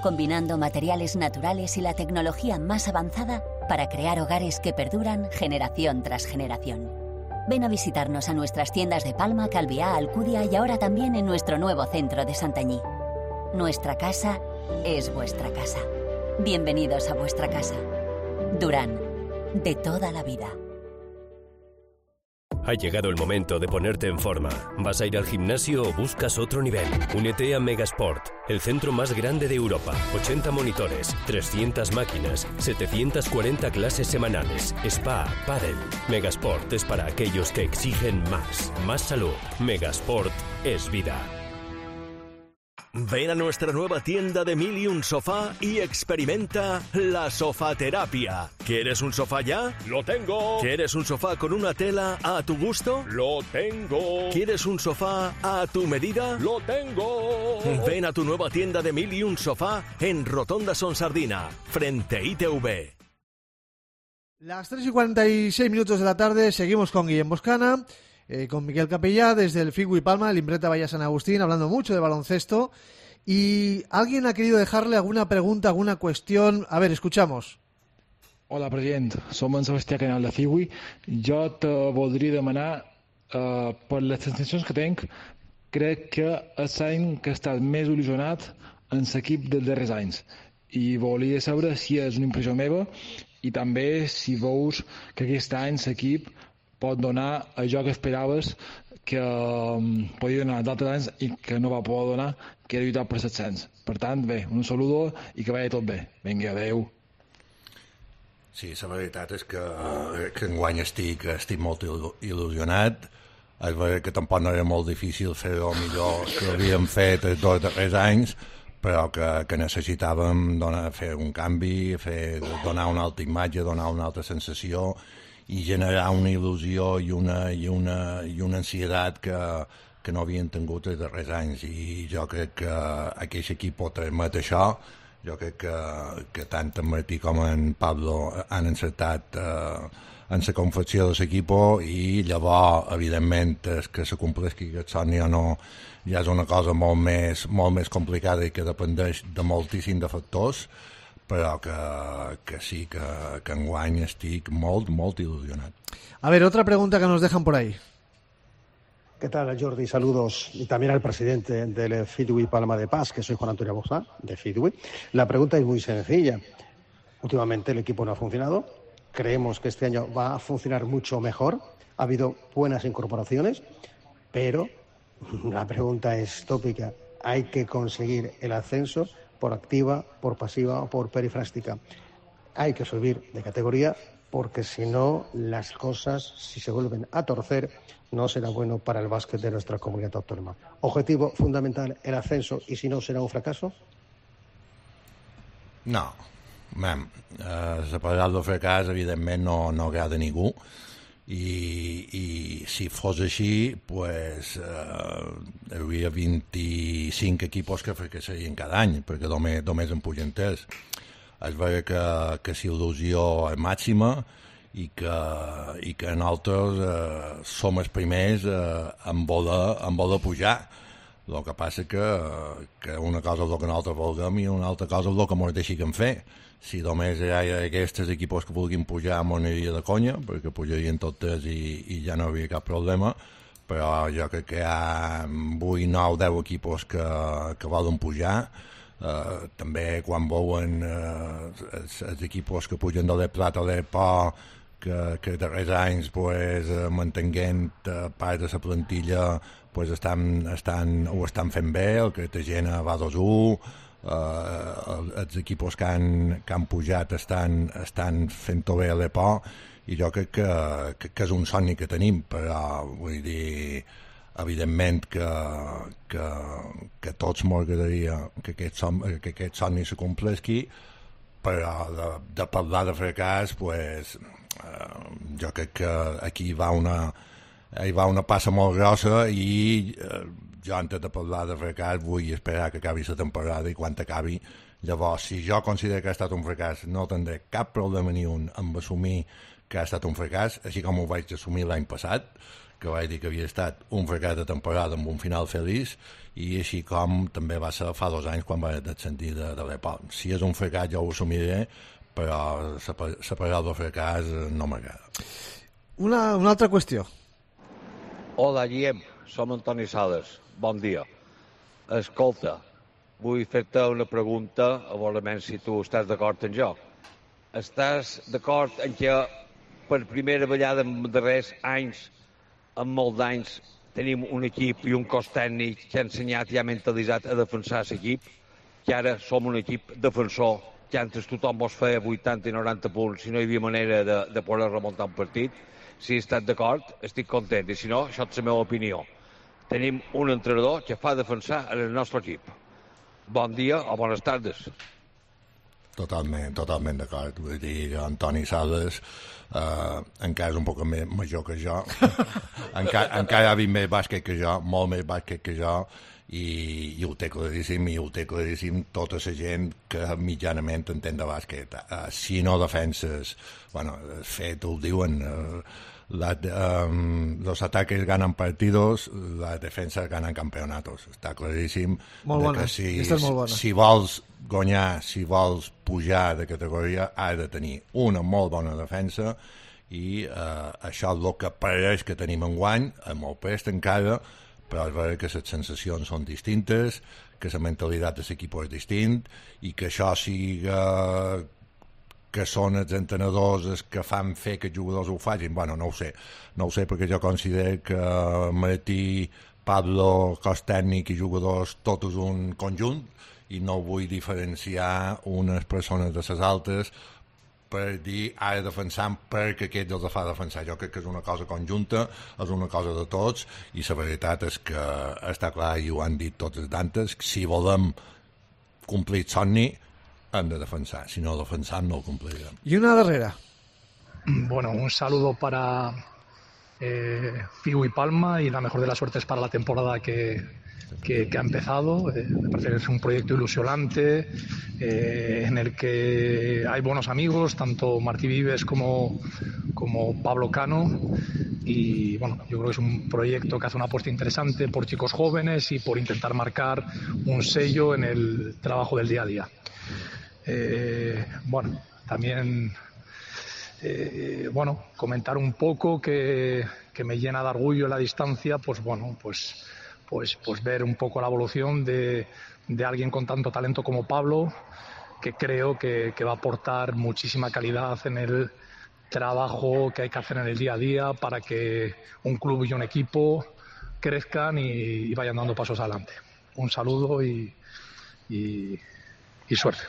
combinando materiales naturales y la tecnología más avanzada para crear hogares que perduran generación tras generación. Ven a visitarnos a nuestras tiendas de Palma, Calviá, Alcudia y ahora también en nuestro nuevo centro de Santanyí. Nuestra casa es vuestra casa. Bienvenidos a vuestra casa. Durán, de toda la vida. Ha llegado el momento de ponerte en forma. ¿Vas a ir al gimnasio o buscas otro nivel? Únete a Megasport, el centro más grande de Europa. 80 monitores, 300 máquinas, 740 clases semanales, spa, pádel. Megasport es para aquellos que exigen más. Más salud. Megasport es vida. Ven a nuestra nueva tienda de 1000 y un sofá y experimenta la sofaterapia. ¿Quieres un sofá ya? ¡Lo tengo! ¿Quieres un sofá con una tela a tu gusto? ¡Lo tengo! ¿Quieres un sofá a tu medida? ¡Lo tengo! Ven a tu nueva tienda de 1000 y un sofá en Rotonda Son Sardina, frente a ITV. Las 3:46 de la tarde, seguimos con Guillem Boscana, con Miquel Capellà desde el Figui Palma, el Imprenta Valla San Agustín, hablando mucho de baloncesto. Y alguien ha querido dejarle alguna pregunta, alguna cuestión. A ver, escuchamos. Hola, president. Som en Sebastià Canal de Figui. Jo te voldria demanar, per les sensacions que tenc, crec que és l'any que he estat més il·lusionat en l'equip dels darrers anys. I volia saber si és una impressió meva i també si veus que aquest any l'equip pot donar allò que esperaves que podia donar d'altres anys i que no va poder donar, que era lluitar per l'ascens. Per tant, bé, un saludo i que vagi tot bé. Vinga, adeu. Sí, la veritat és que enguany estic molt il·lusionat. És veritat que tampoc no era molt difícil fer-ho millor que havíem fet els 2 darrers anys, però que necessitàvem fer un canvi, donar una altra imatge, donar una altra sensació i generar una il·lusió i una ansietat que no havien tingut els darrers anys. I jo crec que aquest equip pot permet això. Jo crec que tant en Martí com en Pablo han encertat en la confecció de l'equip i llavors, evidentment, que se compleixi aquest somni o no ja és una cosa molt més complicada i que dependeix de moltíssim de factors, però que sí, que enguany estic molt ilusionat. A ver, otra pregunta que nos dejan por ahí. ¿Qué tal, Jordi? Saludos. Y también al presidente del Fidui Palma de Paz, que soy Juan Antonio Bosa, de Fidui. La pregunta es muy sencilla. Últimamente el equipo no ha funcionado. Creemos que este año va a funcionar mucho mejor. Ha habido buenas incorporaciones, pero la pregunta es tópica. Hay que conseguir el ascenso por activa, por pasiva o por perifrástica. Hay que subir de categoría porque si no, las cosas, si se vuelven a torcer, no será bueno para el básquet de nuestra comunidad autónoma. Objetivo fundamental, el ascenso, y si no, serà un fracaso? No. La paraula fracàs, evidentment, no agrada a ningú. I si fos així, pues, hi hauria 25 equipos que fracassarien cada any, perquè només en pugen 3. És vera que s'il·lusió és màxima i que nosaltres som els primers en voler pujar. El que passa que una cosa és el que nosaltres vulguem i una altra cosa és el que ens deixin fer. si només hi ha aquests equips que vulguin pujar m'ho aniria de conya, perquè pujarien tots i ja no hi havia cap problema, però jo crec que hi ha 8, 9, 10 equips que volen pujar. També quan veuen els equips que pugen de l'Eplat a l'Epo, que darrers anys mantenint part de la plantilla ho estan fent bé. El Cartagena va 2-1, els equips que han pujat estan fent-ho bé a l'Epo, i jo crec que és un somni que tenim, però vull dir, evidentment que tots m'agradaria que aquest somni se complesqui, però de parlar de fracàs, jo crec que aquí hi va una passa molt grossa, i jo antes de parlar de fracàs vull esperar que acabi la temporada, i quan acabi, llavors, si jo considero que ha estat un fracàs, no tindré cap problema ni un amb assumir que ha estat un fracàs, així com ho vaig assumir l'any passat, que vaig dir que havia estat un fracàs de temporada amb un final feliç, i així com també va ser fa 2 anys quan vaig descendir de l'Epo. Si és un fracàs jo ho assumiré, però la paraula fracàs no m'agrada. Una altra qüestió. Hola, Guillem, som Antoni Sales. Bon dia. Escolta, vull fer-te una pregunta, a veure si tu estàs d'acord amb jo. Estàs d'acord en que per primera vegada en darrers anys, en molts anys, tenim un equip i un cos tècnic que ha ensenyat i ha mentalitzat a defensar l'equip, que ara som un equip defensor, que antes tothom vos feia 80 i 90 punts i no hi havia manera de poder remuntar un partit? Si estàs d'acord, estic content, i si no, això és la meva opinió. Tenim un entrenador que fa defensar el nostre equip. Bon dia o bones tardes. Totalment d'acord. Vull dir, Antoni Sales encara és un poc més major que jo, encara ha vist més bàsquet que jo, molt més bàsquet que jo, i ho té claríssim tota la gent que mitjanament entén de bàsquet. Si no defenses, de fet ho diuen, los ataques ganan partidos, las defensas ganan campeonatos. Està claríssim que si vols guanyar, si vols pujar de categoria, has de tenir una molt bona defensa, i això és el que pareix que tenim enguany, amb molt prest encara, però és veritat que les sensacions són distintes, que la mentalitat de l'equip és distint, i que això siga que són els entrenadors els que fan fer que els jugadors ho facin, no ho sé, perquè jo considero que Martí, Pablo, cos tècnic i jugadors, tot és un conjunt, i no vull diferenciar unes persones de les altres per dir ara defensant perquè aquests els fa defensar. Jo crec que és una cosa conjunta, és una cosa de tots, i la veritat és que està clar, i ho han dit tots els d'antes, si volem complir el somni hem de defensar, si no defensam no ho complirem. I una darrera. Bueno, un saludo para Figu y Palma, y la mejor de las suertes para la temporada que ha empezado. Me parece que es un proyecto ilusionante, en el que hay buenos amigos, tanto Martí Vives como Pablo Cano, y bueno, yo creo que es un proyecto que hace una apuesta interesante por chicos jóvenes y por intentar marcar un sello en el trabajo del día a día. Bueno, también comentar un poco que me llena de orgullo en la distancia, pues ver un poco la evolución de alguien con tanto talento como Pablo, que creo que va a aportar muchísima calidad en el trabajo que hay que hacer en el día a día para que un club y un equipo crezcan y vayan dando pasos adelante. Un saludo y suerte.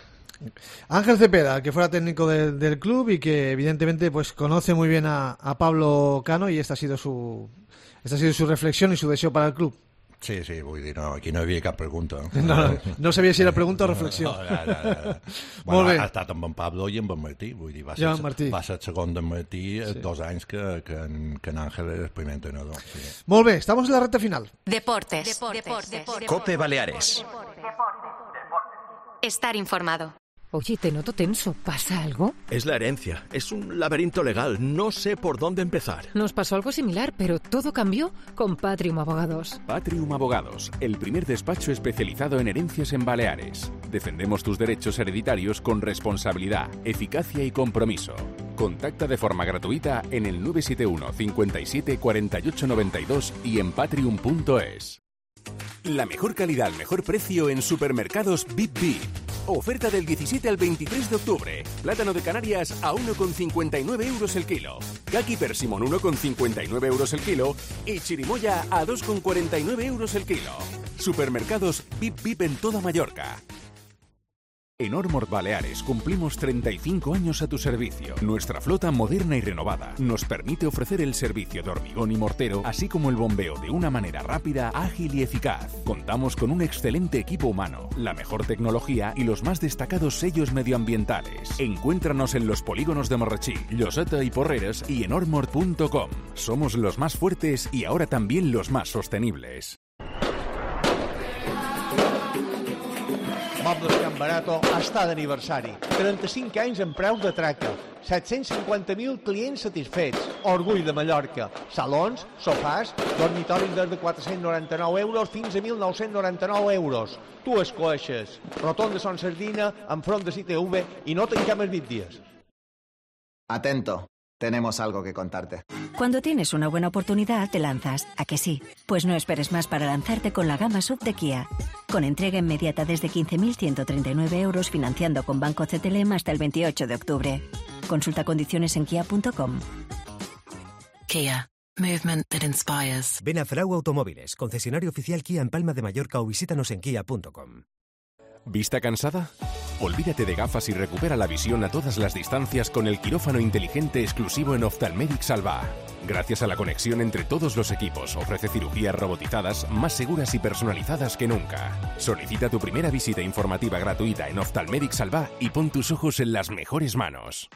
Ángel Cepeda, que fuera técnico del club y que evidentemente pues conoce muy bien a Pablo Cano, y esta ha sido su reflexión y su deseo para el club. Sí, vull dir, no, aquí no hi havia cap pregunta. No sabia si era pregunta o reflexió. Bueno, ha estat amb en Pablo i amb en Martí, vull dir, va ser segon d'en Martí 2 anys que en Ángel era el primer entrenador. Sí. Molt bé, estamos en la recta final. Deportes. Cope Baleares. Estar informado. Oye, te noto tenso. ¿Pasa algo? Es la herencia. Es un laberinto legal. No sé por dónde empezar. Nos pasó algo similar, pero todo cambió con Patrium Abogados. Patrium Abogados, el primer despacho especializado en herencias en Baleares. Defendemos tus derechos hereditarios con responsabilidad, eficacia y compromiso. Contacta de forma gratuita en el 971 57 48 92 y en patrium.es. La mejor calidad al mejor precio en supermercados Bip Bip. Oferta del 17 al 23 de octubre. Plátano de Canarias a 1,59 euros el kilo. Kaki persimón 1,59 euros el kilo. Y chirimoya a 2,49 euros el kilo. Supermercados Bip Bip en toda Mallorca. En Ormord Baleares cumplimos 35 años a tu servicio. Nuestra flota moderna y renovada nos permite ofrecer el servicio de hormigón y mortero, así como el bombeo de una manera rápida, ágil y eficaz. Contamos con un excelente equipo humano, la mejor tecnología y los más destacados sellos medioambientales. Encuéntranos en los polígonos de Morrachí, Lloseta y Porreres y en ormord.com. Somos los más fuertes y ahora también los más sostenibles. Mobles Can Barato està d'aniversari. 35 anys en preus de traca. 750.000 clients satisfets. Orgull de Mallorca. Salons, sofàs, dormitoris des de 499 euros fins a 1.999 euros. Tu escoixes. Rotonda Son Sardina, enfront de CTV i no tanquem els 20 dies. Atento. Tenemos algo que contarte. Cuando tienes una buena oportunidad, te lanzas. ¿A que sí? Pues no esperes más para lanzarte con la gama SUV de Kia. Con entrega inmediata desde 15.139 euros, financiando con Banco CTLM hasta el 28 de octubre. Consulta condiciones en kia.com. Kia. Movement that inspires. Ven a Frau Automóviles, concesionario oficial Kia en Palma de Mallorca, o visítanos en kia.com. ¿Vista cansada? Olvídate de gafas y recupera la visión a todas las distancias con el quirófano inteligente exclusivo en Ophthalmedic Salva. Gracias a la conexión entre todos los equipos, ofrece cirugías robotizadas más seguras y personalizadas que nunca. Solicita tu primera visita informativa gratuita en Ophthalmedic Salva y pon tus ojos en las mejores manos.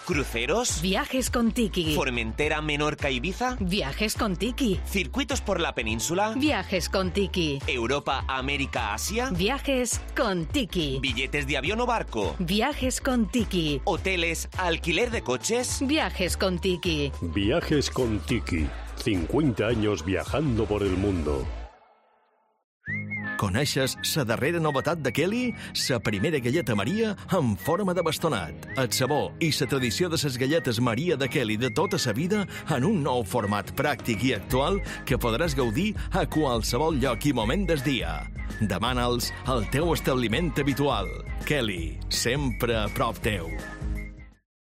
¿Cruceros? Viajes con Tiki. ¿Formentera, Menorca, Ibiza? Viajes con Tiki. ¿Circuitos por la península? Viajes con Tiki. ¿Europa, América, Asia? Viajes con Tiki. ¿Billetes de avión o barco? Viajes con Tiki. ¿Hoteles, alquiler de coches? Viajes con Tiki. Viajes con Tiki. 50 años viajando por el mundo. Coneixes la darrera novetat de Kelly? La primera galleta Maria en forma de bastonat. El sabor i la tradició de les galletes Maria de Kelly de tota la vida en un nou format pràctic i actual que podràs gaudir a qualsevol lloc i moment del dia. Demana'ls al teu establiment habitual. Kelly, sempre a prop teu.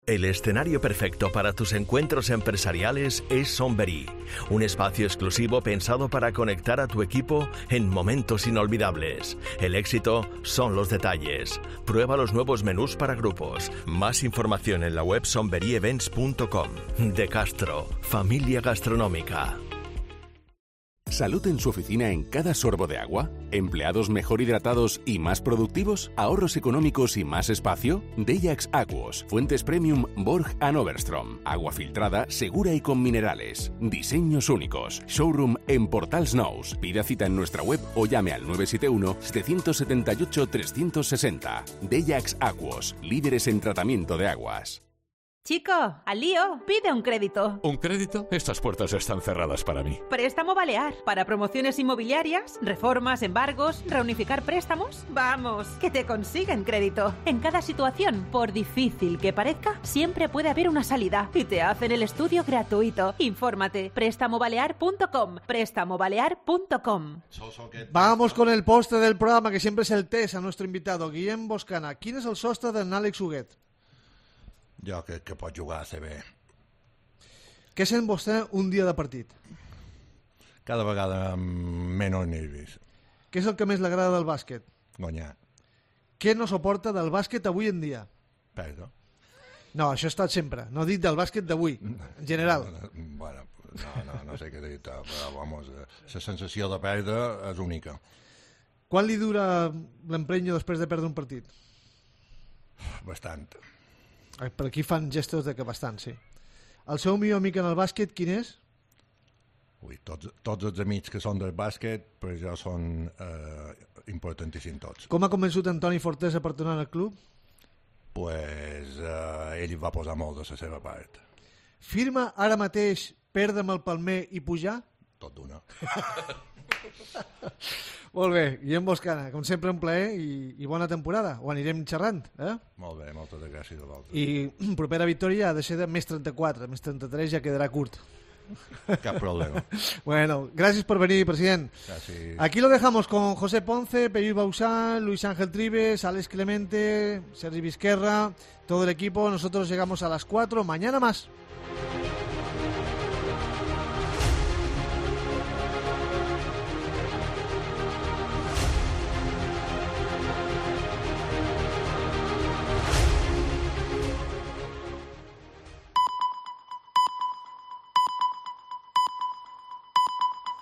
El escenario perfecto para tus encuentros empresariales es Sonverí, un espacio exclusivo pensado para conectar a tu equipo en momentos inolvidables. El éxito son los detalles. Prueba los nuevos menús para grupos. Más información en la web sonveryevents.com. De Castro, familia gastronómica. ¿Salud en su oficina en cada sorbo de agua? ¿Empleados mejor hidratados y más productivos? ¿Ahorros económicos y más espacio? Deyax Aquos, fuentes premium Borg & Overstrom. Agua filtrada, segura y con minerales. Diseños únicos. Showroom en Portals Nous. Pida cita en nuestra web o llame al 971-778-360. Deyax Aquos, líderes en tratamiento de aguas. Chico, al lío, pide un crédito. ¿Un crédito? Estas puertas están cerradas para mí. Préstamo Balear. Para promociones inmobiliarias, reformas, embargos, reunificar préstamos. Vamos, que te consiguen crédito. En cada situación, por difícil que parezca, siempre puede haber una salida. Y te hacen el estudio gratuito. Infórmate. Prestamobalear.com. Prestamobalear.com. Vamos con el postre del programa, que siempre es el test a nuestro invitado, Guillem Boscana. ¿Quién es el sostre d'en Àlex Huguet? Jo crec que pot jugar a CB. Què sent vostè un dia de partit? Cada vegada amb menys nervis. Què és el que més li agrada del bàsquet? Guanyar. Què no suporta del bàsquet avui en dia? Perdó. No, això ha estat sempre. No dic del bàsquet d'avui, en general. Bueno, no sé què dir, però vamos, la sensació de perdre és única. Quan li dura l'emprenyo després de perdre un partit? Bastant. Per aquí fan gestos de que bastant, sí. El seu millor amic en el bàsquet, quin és? Ui, tots els amics que són del bàsquet, per jo són importantíssim tots. Com ha convençut Antoni Fortesa per tornar al club? Pues ell va posar molt de la seva part. Firma ara mateix perdre amb el Palmer i pujar? Tot d'una. Molt bé, Guillem Boscana, com sempre un plaer i bona temporada. Ho anirem xerrant, eh? Molt bé, moltes gràcies a vosaltres. I propera victòria ha de ser de més 34, més 33 ja quedarà curt. Cap problema. Bueno, gracias por venir, presidente. Gracias. Aquí lo dejamos con José Ponce, Peyú Bausán, Luis Ángel Tribes, Alex Clemente, Sergi Vizquerra, todo el equipo. Nosotros llegamos a las 4, mañana más.